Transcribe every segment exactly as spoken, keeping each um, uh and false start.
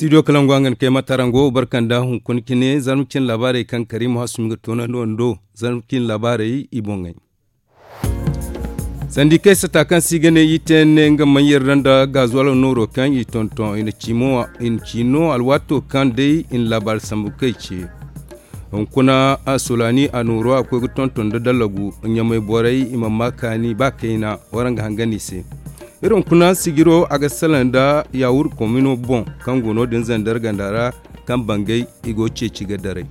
Studio kalangu a ga ni kay matarango barkanda hunkuna cine zarma cine laabaarey kaŋ karimu hasumi ga toonandi wando. Zarma cine laabaarey i boŋey. Sandikey sata kaŋ se i ga ne i te ne nga maŋ yarda nda gazuwalo nooro kaŋ i tonton i na ci no alwaato kaŋ day i na laabaari sambu kay ce. Hunkuna solaani a nooro a koy ga tonton nda dallagu ɲamay borey i ma maa kaani ba kayna. Waraŋ ga hangan i se. Iri hunkuna sijiro a ga salaŋ nda yaawur komino boŋ kaŋ go no- din zandar ganda ra kaŋ bangay i go ceeci ga daray.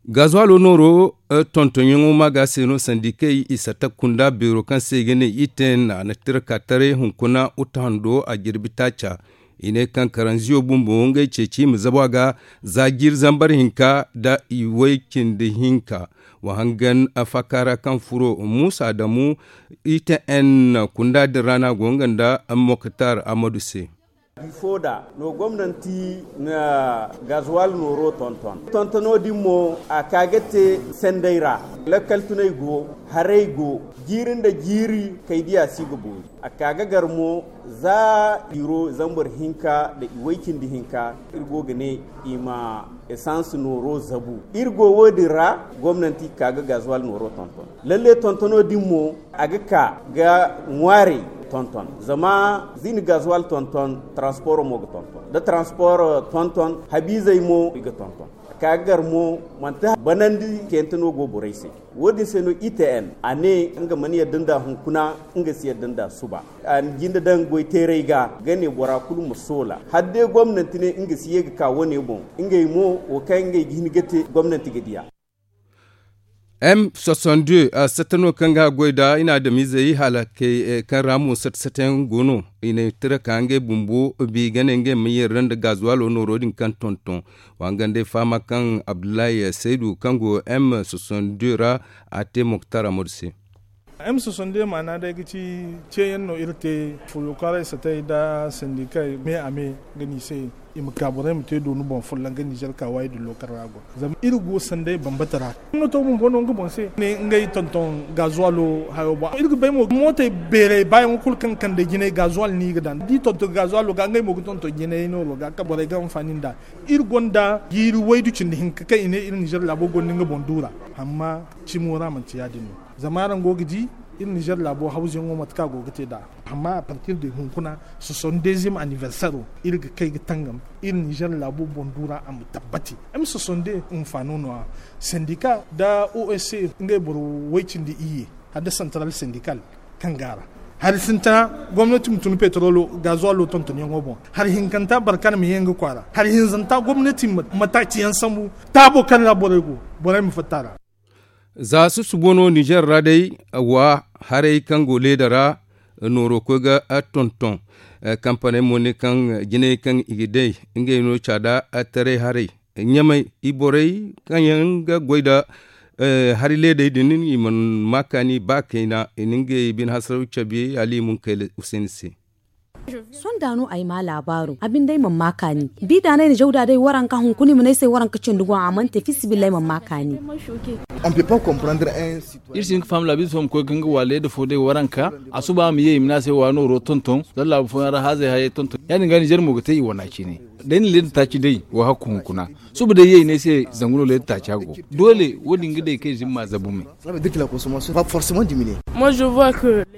Gazuwalo nooro tontonyaŋo ma ga se no sandikey i satta kunda beero kaŋ se i ga ne i te na na tira ka taray hunkuna uta hando a jirbi taaca. I ne kaŋ karanziyo bumbo ngey ceeci i ma zabu a ga za jiiri zambar hinka nda i way cindi hinka. Wa hangan faaka ra kaŋ furo muusa damu i te n kunda din ra no a go nga nda moktar amadu se. Bifo da no gomnanti na gazuwal nooro tonton tontono din mo a ka ga te sendey ra. Lakkal tunay go haray go jiiri nda jiiri kay diya si ga boori a ka ga gar mo za iro zambar hinka nda i way cindi hinka. Iri go ga ne i ma esans nooro zabu iri go wo- din ra gomnanti ka ga gazuwal nooro tonton. Lalle tontono din mo a ga ka ga ŋwaarey tonton zama za i na gazuwal tonton transporo mo ga tonton da transporo tonton habiizey mo i ga tonton. A ka ga gar mo manti banandi kayante no go borey se. Wo- din se no i te n a ne nga mana yadda nda hunkuna nga si yadda nda suba. A na jinde daŋ goy teeray ga ga ne bora kulu ma soola hala day gomnanti ne nga si ye ga ka wane boŋ. Ngey mo wo kaŋ ngey ga hin ga te gomnanti ga diya. M soixante-deux a satta no kaŋ ga goy nda i na adamizey hala kay kaŋ ra mo satta satta yaŋ go no. I na tira ka ngey bumbo bi ga ne ngey ma yeera nda gazuwalo nooro din kaŋ tonton. Wa hangan day fahama kaŋ abdullahi saydu kaŋ go m soixante-deux ra a te moktar amadu se. M soixante-deux maana day ga ci ceeyaŋ no iri te foyokaaray satay nda sandikey me a me ga ni se i ma ka borey ma te dooni boŋ folloŋ ga nizer ka waayi da lookal ra go zama iri go sanday bambata ra. Gomnato bumbo no nga boŋ se ne ngey tonton gazuwalo hayo boŋ iri ga bay mo mootey beerey baayaŋo kulu kaŋ kande jinay gazuwal no i ga daŋ da i tonton gazuwalo ga ngey mo ga tonton jinay nooro ga ka borey ga anfaani nd'a. Iri gonda jiiri waydu cindi hinka kaŋ i ne iri nizer laabo gonda nga boŋ duura. Amma cimo ra manti ya- din no zama araŋ go ga di iri nizer laabo hawzuyaŋo mate kaŋ a go ga te nd'a. Amma a partir de hunkuna soixante-deuxième anniversaire iri ga kay ga tangam iri nizer laabo boŋ duura a ma tabbati. M soixante-deux hunfaano no- ya sendika nda osc ngey boro way cindi iyye hala nda central sendikal kaŋ go a ra. Hari sintina gomnati ma tun petrolo gazuwalo tontonyaŋo boŋ. Hari hinkanta barkar ma ye nga kwaara hari hinzanta gomnati ma taaci yaŋ sambu taabo kaŋ ra borey go borey ma fatta a ra. Za susubo no nizer ra day wa haray kaŋ go leeda ra nooro koy ga tonton. Kampaney mo ne kaŋ jinay kaŋ i ga day ngey no caada taray haray ɲamay i borey kaŋ yaŋ ga goy nda hari leedey din i mana ma kaani ba kayna i na ngey bine hasaraw cabe ali munkayla useni se. Sonda no ay ma laabaaro a binde ay mana ma kaani. Bi da no ay na jaw da day waranka hunkuna i mana ay se waranka cindi go a mana te fisibillah ay mana ma kaani. Iri si hin ga faham laabiize fo ma koy ga nga waale da fo day waranka a suba a ma ye i ma ne a se wa nooro tonton zama laabu fooyaŋ ra haazey hayey tonton ya- din ga nizer mo ga te i wana cine. Day na leeda taaci day wa hakku hunkuna suba day ye i ne ay se zangu no leeda taaci a go. Doole wo- din ga day kay zimma zabu me.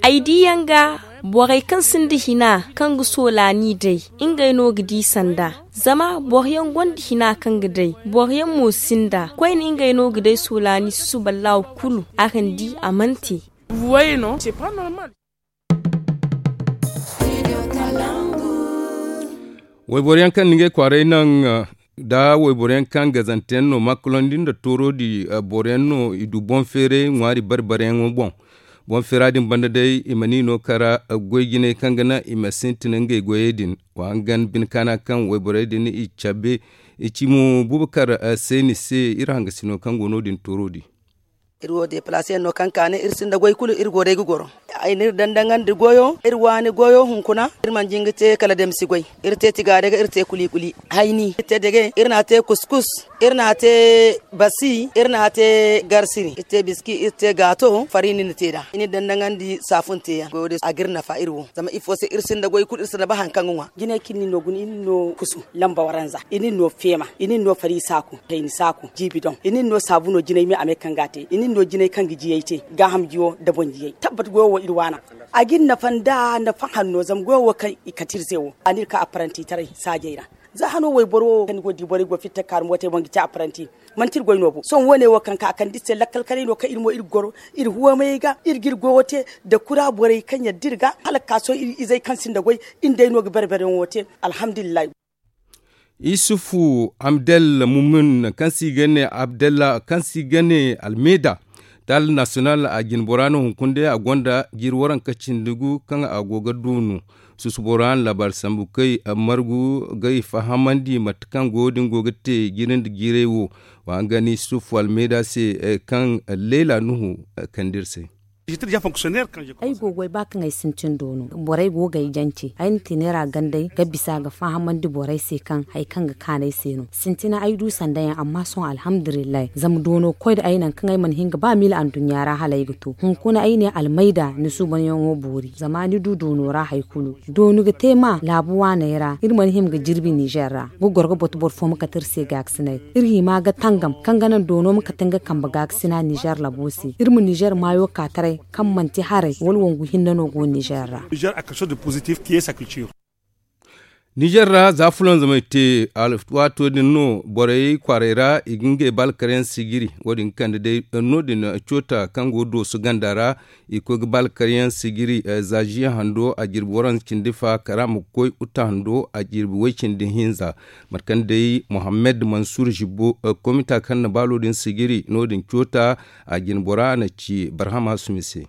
Ay di yaŋ ga borey kaŋ sinda hina kaŋ ga soolaani day ngey no ga di sanda. Zama boro yaŋ gonda hina kaŋ ga day boro yaŋ mo sinda koyne ngey no ga day soolaani susuballahu kulu araŋ di a mana te. Wayboro yaŋ kaŋ na ngey kwaaray naŋ da wayboro yaŋ kaŋ gazante yaŋ no makulandi nda toorodi boro yaŋ no i du boŋ feeray ŋwaari bari bari yaŋo boŋ. Boŋ feera din banda day i mana i no kara goy jinay kaŋ ga naŋ i ma sintin ngey goyey din. Wa hangan bine kaana kaŋ wayborey din i cabe i ci mo bubakar seeni se iri hangasino kaŋ go no- din toorodi. Iri wo deplaseyaŋ no kaŋ kaane iri sinda goy kulu iri go day ga goro. Ay n'iri dandaŋandi goyo iri waani goyo hunkuna. Iri mana jinga te kala damsi goy. Iri te tiga dage iri te kuli kuli. Hayni iri te dage iri n'a te kuskus. Iri n'a te basi iri n'a te garsiri iri te biski iri te gaato fari ni na te nd'a i n'iri dandaŋandi saafunte yaŋ goyo din a g'iri nafa iri wo. Zama ifo se iri sinda goy kulu iri sinda ba hari kaŋ ga ŋwa. Jinay kaŋ ni no guna i n'iri no kusu lamba waranza i n'iri no feema i n'iri no fari saaku kayni saaku jiibi doŋ i n'iri no saabuno jinay me a me kaŋ ga a te i n'iri no jinay kaŋ ga jiyay te. Gaaham jiyo nda boŋ jiyay tabbat goyo wo iri waana. A g'iri nafa nda nafa hanno zama goyo wo kaŋ i kate iri se wo a n'iri ka apparanti taray saajey ra. Za hano wayboro wo kaŋ ni go ga di borey go fitta kaarumbo te boŋ ga ci apparanti. Manti iri goy no bo sohõ wo- ne wo kaŋ ka a kande iri se lakkal kanay no kaŋ iri mo iri ga goro iri huwameyey ga iri g'iri goyo te. Nda kura borey kaŋ yadda iri ga hala ga ka sohõ iri izey kaŋ sinda goy iri nd'ey no ga bare bare yaŋo te. Alhamdulillahi. Isufu abdel mumin kaŋ se i ga ne abdella kaŋ se i ga ne almeeda, taali nasiyonal a jinbora no hunkuna day a gonda jiiri waranka cindi gu kaŋ a go ga duunu. Susubo ra no laabaari sambu kay margu ga i fahamandi mate kaŋ goyo din go ga te jiiri nda jiirey wo. Wa nga no isufu almeeda se kaŋ leela nuhu kande iri se. Ay go ga ay ba kaŋ ay sintin doono borey go ga ay jance ay na teeneera gandey ga bisa ga fahamandi borey se kaŋ hari kaŋ ga kaanu ay se no sintina ay du sanda yaŋ amma sohõ alhamdulillahi zama doono koy nda ay nangu kaŋ ay mana hin ga ba miila anduɲɲa ra hala ay ga to hunkuna ay ne almayda ni suubanyaŋo boori zama ni du doono ra hari kulu. Dooni ga te ma laabu waaney ra iri mana hima ga jirbi nizer ra ga goro ga batu boro fo ma kate iri se gaakasinay. Iri hima ga tangam kaŋ ga naŋ doono ma kate nga kambe gaakasina nizer labo se iri ma nizer maayo ka taray kaŋ manti haray wala wangu hinne no go nizer ra. Nizer ra za fulanzamey te waato din no borey kwaaray ra i ga ngey baalkaryaŋ sigiri. Wo- din ga kande day no- din coota kaŋ go dooso ganda ra i koy ga baalkaryaŋ sigiri. Za ziya hando a jirbi waranza cindi fa kara ma koy uta hando a jirbi way cindi hinza. Mate kaŋ day mohammed mansur zibo komita kaŋ na baalo din sigiri no- din coota a jinbora na ci barhama sumi se.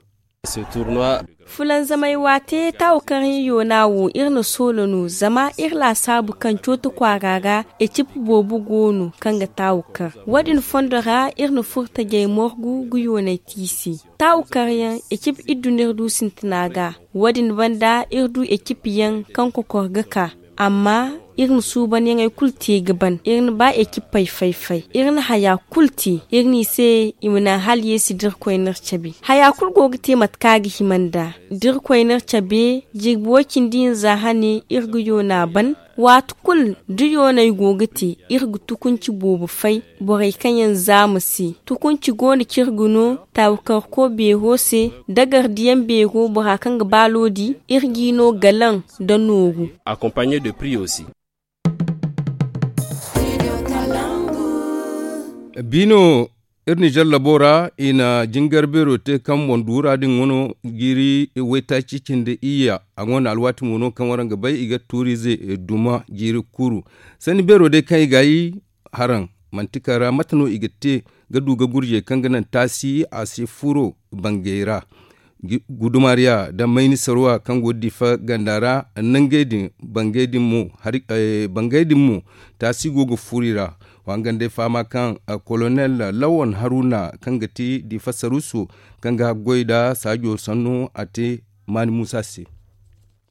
Fulanzamey waate taawu kaŋ iri yoona wo iri na soolo no zama iri laasaabu kaŋ cooto kwaara ra ecip boobo go no kaŋ ga taawu kar. Wo- din fondo ra iri na furtajey morgu ga yooney te i se. Taawu karyaŋ ecip iddu no iri du sintina ga. Wo- din banda iri du ecip yaŋ kaŋ kokor ga ka. Amma iri na suubanyaŋey kulu te ga ban iri na ba ecipey fay-fay iri na haya kulu te iri n'i se i ma naŋ hala yeesi da irkoy n'iri cabe haya kulu go ga te mate kaŋ a ga hima nd'a. Da irkoy n'iri cabe jirbi way-cindi hinza hane iri ga yoona ban. Waati kulu da yooney go ga te iri ga tukunci boobo fay borey kaŋ yaŋ zaama se tukunci go no kaŋ iri ga no taabukarko beero se da gardiyaŋ beero bora kaŋ ga baalo di iri g'i no galaŋ nda nooru. Biino iri nizer labo ra i na jingar beero te kaŋ boŋ duura din wano jiiri waytaaci cindi iyya a gonda alwaati mo no kaŋ waraŋ ga bay i ga tuuriize duma jiiri kuru. Sanni beero day kaŋ i ga ay haraŋ manti kara mate no i ga te ga du ga gurjey kaŋ ga naŋ taasi a si furo bangey ra. Gudumariya nda mayni sarwa kaŋ go ga difa ganda ra nangey din bangey din mo taasi go ga furo i ra. Wa nga nda ay fahama kaŋ kolonel lawan haruna kaŋ ga ti difa saruso kaŋ ga haggoy nda saajo sanno a te maani muusa se.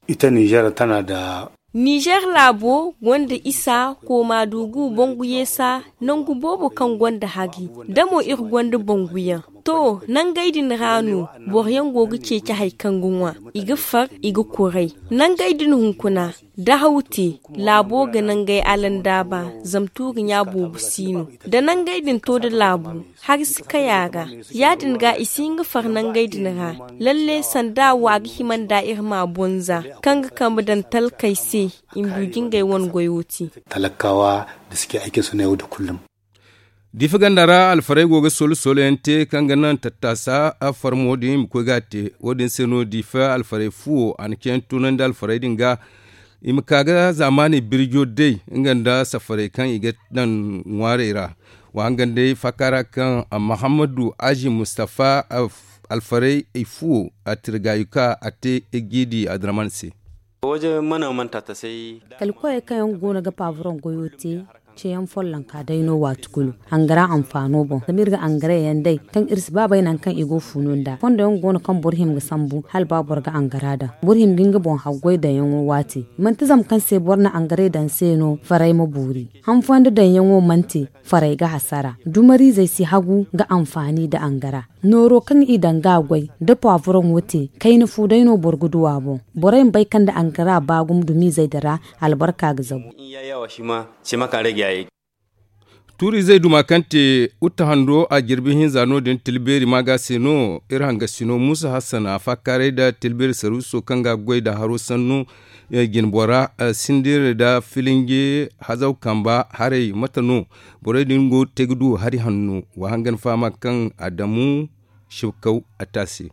Ita nizer tana nda nizer laabo gonda isa kooma dugu bangu yeesa nangu boobo kaŋ gonda hari da mo iri gonda banguyaŋ. To nangey din ra no boro yaŋ go ga ceeci hari kaŋ ga ŋwa i ga far i ga kuray. Nangey din hunkuna da haw te laabo ga nangey alandaaba zama tuuri ɲa boobo si no. Da nangey din to da laabu hari si kay a ra. Ya- din ga i si hin ga far nangey din ra. Lalle sanda wo a ga hima nd'a iri ma a bonza kaŋ ga kambe daŋ talkey se i ma du jingey wane goyo te. Talakaawa da si ke ayke soneewo da kullum. Diifa ganda ra alfarey go ga solo solo yaŋ te kaŋ ga naŋ tattaasa farmo din i ma koy ga a te. Wo- din se no diifa alfarey fuwo a na ceeyaŋ tunandi alfarey din ga i ma ka ga zaamaaney birjo day nga nda safarey kaŋ i ga daŋ ŋwaarey ra. Wa nga nda ay faaka ra kaŋ mahammadu azi mustafa alfarey ay fuwo a tirgaayu ka a te jiidi adraman se. Kala koyey kaŋ yaŋ go no ga paaburoŋ goyo te. Ceeyaŋ follonka day no waati kulu, angara anfaano boŋ zama iri ga angara yaŋ day kaŋ iri si ba bay nangu kaŋ i go funo nd'a fondo yaŋ go no kaŋ boro hima ga sambu hala ba boro ga angara daŋ. Boro hima ga nga boŋ haggoy daŋyaŋo waati manti zama kaŋ se boro na angaray daŋ se no faray ma boori. Han fooyaŋ da daŋyaŋo manti faray ga hasara dumariizey si hagu ga anfaani nda angara. Nooro kaŋ i daŋ ga a goy da pawavoroŋo te kayna fu day no boro ga du a boŋ. Borey ma bay kaŋ nda angara ba gumo dumiizey din ra albarka ga zabu. Tuuri-izey duma kaŋ te utta hando a jirbi hinza no- din tilbeeri maaga se no. Iri hangasino muusa hassan a faakaaray nda tilbeeri saruuso kaŋ ga goy nda haro sannu jinbora sindir nda filinje hazaw kamba haray mate no? Borey din go ga te ga du hari hanno wa hangan fahama kaŋ adamu shibkaw a te a se.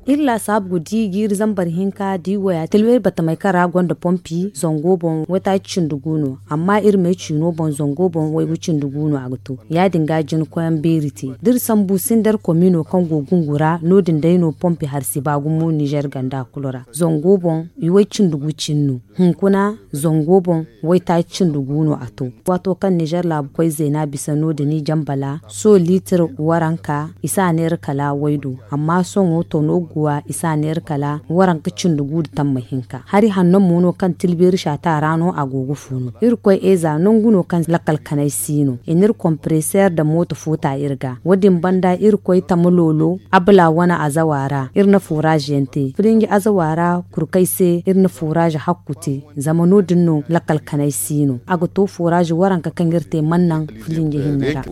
Iri laasaabu ga di ga iri zambar hinka da i waya tilbay batamey kaŋ ra gonda pompi zango boŋ waytaaci cindi gu no. Amma iri me ciino boŋ zango boŋ waygu cindi gu no a ga to. Ya- din ga jina koyaŋ beeri te da iri sambu sindar komino kaŋ go gungu ra no- din day no pompi hari si ba gumo nizer ganda kulu ra. Zango boŋ i way cindi gu cine no. Hunkuna zango boŋ waytaaci cindi gu no a to. Waato kaŋ nizer laabu koy zeena bisa no- din i jambala soho liitir waranka i si a neera kala waydu. Amma sohõ tono guwa i si a neera kala waranka cindi gu nda tamma hinka hari hanno mo no kaŋ tilbeeri saata ra no a go ga fuunu. Iri koy eza nangu no kaŋ lakkal kanay si no i na iri kompreseer nda mooto foota iri ga wo- din banda iri koy tama loolo abala wane azawa ra iri na furaazi yaŋ te filinji azawa ra kurkay se iri na furaazi hakku te. Zama no- din no lakkal kanay si no a ga to furaazi waranka kaŋ iri te mana naŋ filinji hinne ra.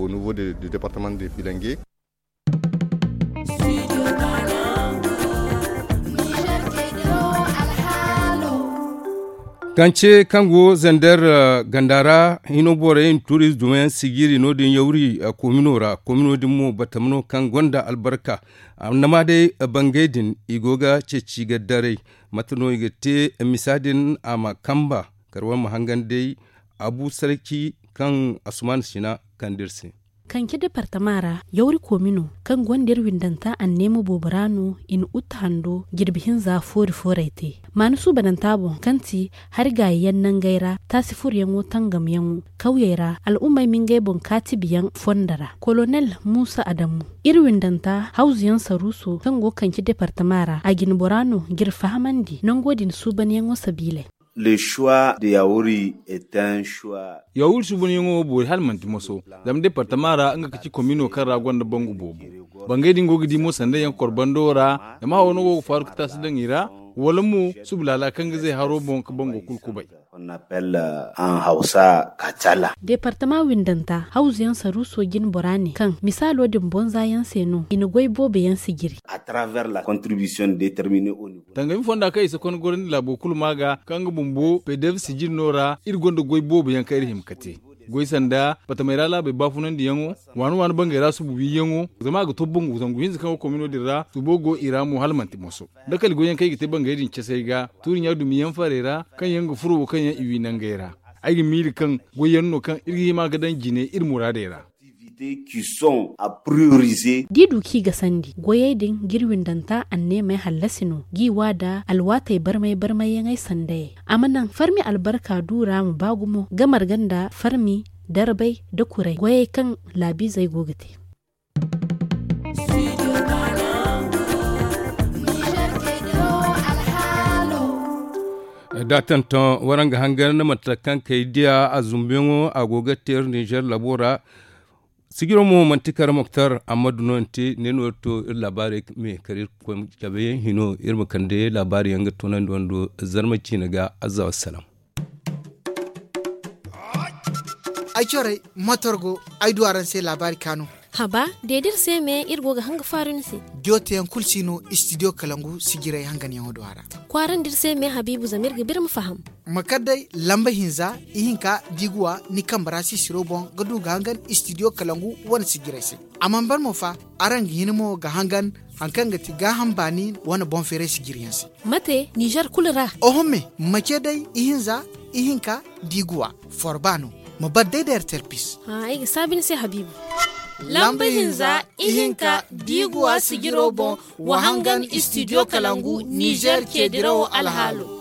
Kance kaŋ go zander ganda ra hino borey na tuuriz dumayaŋ sijiri no- din yawri komino ra komino din mo batama no kaŋ gonda albarka. Annama day bangey din i go ga ceeci ga daray. Mate no i ga te misa din a ma kamba kar wane ma hangan day abu sarki kaŋ asuman sina kande iri se. Kanci departama ra yawri koomino kaŋ gonda iri windanta anneema boobo ra no i na utte hando jirbi hinza foori fooray te. Maana suubananta boŋ kaŋ ti hari gaayi yaŋ nangey ra taasi furoyaŋo tangamyaŋo kawyey ra al'ummey ma ngey boŋ kaatibiyaŋ fondo ra kolonel muusa adamu iri windanta hawzuyaŋ saruuso kaŋ go kanci departama ra a jinbora no ga iri fahamandi nango din suubanyaŋo sabiilay. Yawuri suubanyaŋo boori hala manti moso zama departama ra nga ga ci komino kaŋ ra gonda bangu boobo. Bangey din go ga di mo sanday yaŋ korbando ra zama hawo no go ga faaru ga taasi daŋ i ra wala mo suba laala kaŋ ga zay haro boŋ ga bango kulu kubay. Departama windanta hawzuyaŋ saruuso jinbora ne kaŋ misaalo din bonza yaŋ se no i na goy boobo yaŋ sijiri. Tangami fonda kaŋ i si konda gorandi laabo kulu ma ga kaŋ nga bumbo pedev sijiri no ra iri gonda goy boobo yaŋ kaŋ iri hima ga te. Goy sanda batamey ra laabey baafunandiyaŋo waani waani bangey ra suba wiiyaŋo zama a ga to bangu zangu hinza kaŋ go komino din ra subo go i ra mo hala manti moso. Dakali goyyaŋ kaŋ i ga te bangey din casey ga tuuri ɲa dumiyaŋ farey ra kaŋ yaŋ ga furo wo kaŋ yaŋ i wi nangey ra. Ay ga miiri kaŋ goyyaŋ no kaŋ iri ga hima ga daŋ jine iri muraadey ra. Da i du kaŋ i ga sandi goyey din ga iri windanta anneemey hallasi no ga i wa nda alwaatey barmay barmayyaŋey sandayey a ma naŋ farmi albarka du ra ma ba gumo ga marga nda farmi darbay nda kuray goyey kaŋ laabiizey go ga te. Da a tonton waraŋ ga hangan mate kaŋ kay diya a zumbuyaŋo a go ga te iri ninzeer labo ra. Sijiro mo manti kar moktar amma duno nte ne no iri to iri laabaarey me kar iri koy cabe hino iri ma kande laabaari yaŋ ga toonandi wando zarma ciine ga. Azza wassalam. Ay corey motor go ay du araŋ se laabaari kaanu. Haba de da iri se me iri go ga hanga faaru ni se. Diyo teyaŋ kulu si no istidiyo kalangu sijirey hanganyaŋo do a ra. Kwaarandi iri se me habiibu zama iri ga ba iri ma faham. Ma kar day lamba hinza ihinka da i ga wa ni kambe ra sisiro boŋ ga du ga hangan istidiyo kalangu wane sijirey se. A mana ban mo fa araŋ ga hin mo ga hangan hari kaŋ ga ti gaaham baani wane boŋ feeray sijiriyaŋ se. Mate nizer kulu ra. Oho me ma ce day ihinza ihinka da i ga wa forba no. Ma bar day da ertel pis. Ay ga saabi ni se habiibu. Lamba hinza ihinka da i ga wa sijiro boŋ wa hangan istidiyo kalangu nizer ceedirawo alhaalo.